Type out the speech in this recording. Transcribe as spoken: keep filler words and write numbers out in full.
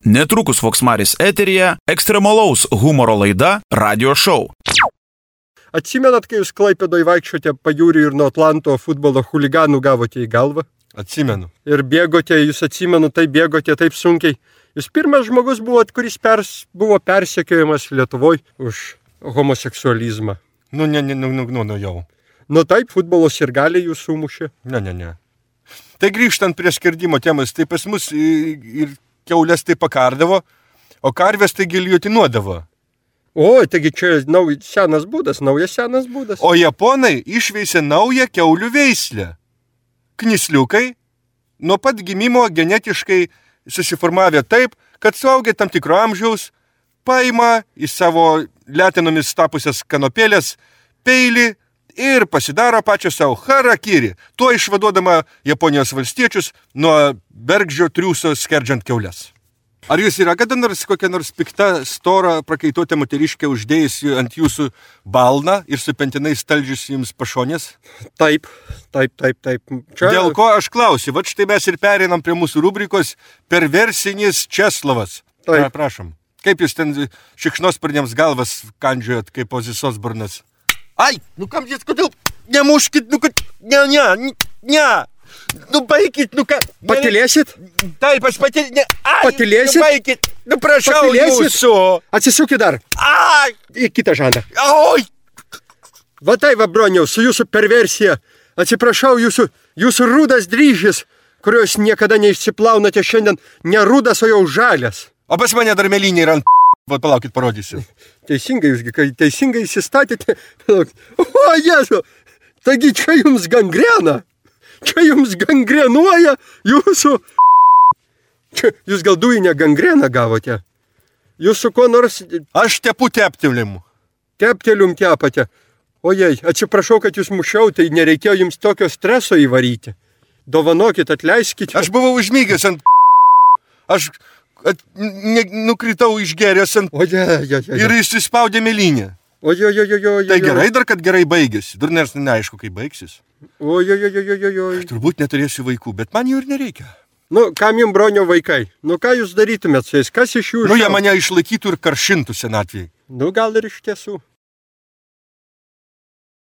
Netrukus Voksmaris eteryje ekstremalaus humoro laida Radio Show. Atsimenat, kai jūs Klaipėdoje vaikščiote pajūrį ir nuo Atlanto futbolo chuliganų gavote į galvą? Atsimenu. Ir bėgote, jūs atsimenu, taip bėgote taip sunkiai. Jūs pirmas žmogus buvot, kuris pers, buvo persekiojamas Lietuvoje už homoseksualizmą. Nu, ne, ne, nu, nu, nu, nu jau. Nu taip, futbolo sirgaliai jūs sumušė. Ne, ne, ne. Tai grįžtant prie skerdimo temas, tai pas mus ir kiaulės tai pakardavo, o karvės tai giljotinuodavo. O, taigi čia nau, senas būdas, naujas senas būdas. O japonai išveisė naują kiaulių veislę. Knisliukai nuo pat gimimo genetiškai susiformavę taip, kad suaugę tam tikro amžiaus paima į savo letenomis tapusias kanopėlės peilį ir pasidaro pačią savo harakiri, tuo išvaduodama Japonijos valstiečius nuo bergždžio triūso skerdžiant kiaules. Ar jūs yra kada nors kokia nors pikta, stora, prakaituotė moteriškė uždėjusi ant jūsų balną ir su pentinais staldžius jums pašonės? Taip, taip, taip, taip. Čia... Dėl ko aš klausiu, vat štai mes ir pereinam prie mūsų rubrikos Perversinis Česlovas. Taip. Na, prašom. Kaip jūs ten šikšnosparniams galvas kandžiojat kaip Ozis Osbornas? Ai, nu kam jūs, kodėl? Nemuškit, nu kad... Ne, ne, ne. Nu baikit, nu ką... Patilėsit? Taip, aš patilėsit. Ne, ai, patilėsit? Nu baikit, nu prašau patilėsit? Jūsų. Atsisukit dar. Ai. Į kitą žandą. Oi. Va tai, va, broniau, su jūsų perversija. Atsiprašau, jūsų, jūsų rudas dryžis, kurios niekada neišsiplaunate šiandien, ne rudas, o jau žalias. O pas mane dar melinė yra ant... Va, palaukit, parodysiu. Teisingai, jūs kai teisingai įsistatėte. O, Jėzu, taigi čia jums gangrena. Čia jums gangrenuoja jūsų... Čia jūs gal dujinę gangreną gavote. Jūs su kuo nors... Aš tepu teptelimu. Teptelium tepate. Ojei, atsiprašau, kad jūs mušiau, tai nereikėjo jums tokio streso įvaryti. Dovanokit, atleiskite. Aš buvau užmygęs ant... Aš... At, ne, nukritau išgeręs ant... O, ja, ja, ja. Ir įsispaudė melinė. O, jo, jo, jo, jo. Tai gerai dar, kad gerai baigėsi. Dar nors neaišku, kaip baigsis. O, jo, jo, jo, jo, jo. Aš turbūt neturėsiu vaikų, bet man jų ir nereikia. Nu, kam jums, bronio, vaikai? Nu, ką jūs darytumėt su jais? Kas iš jų... Nu, jie mane išlaikytų ir karšintų senatvėje. Nu, gal ir iš tiesų.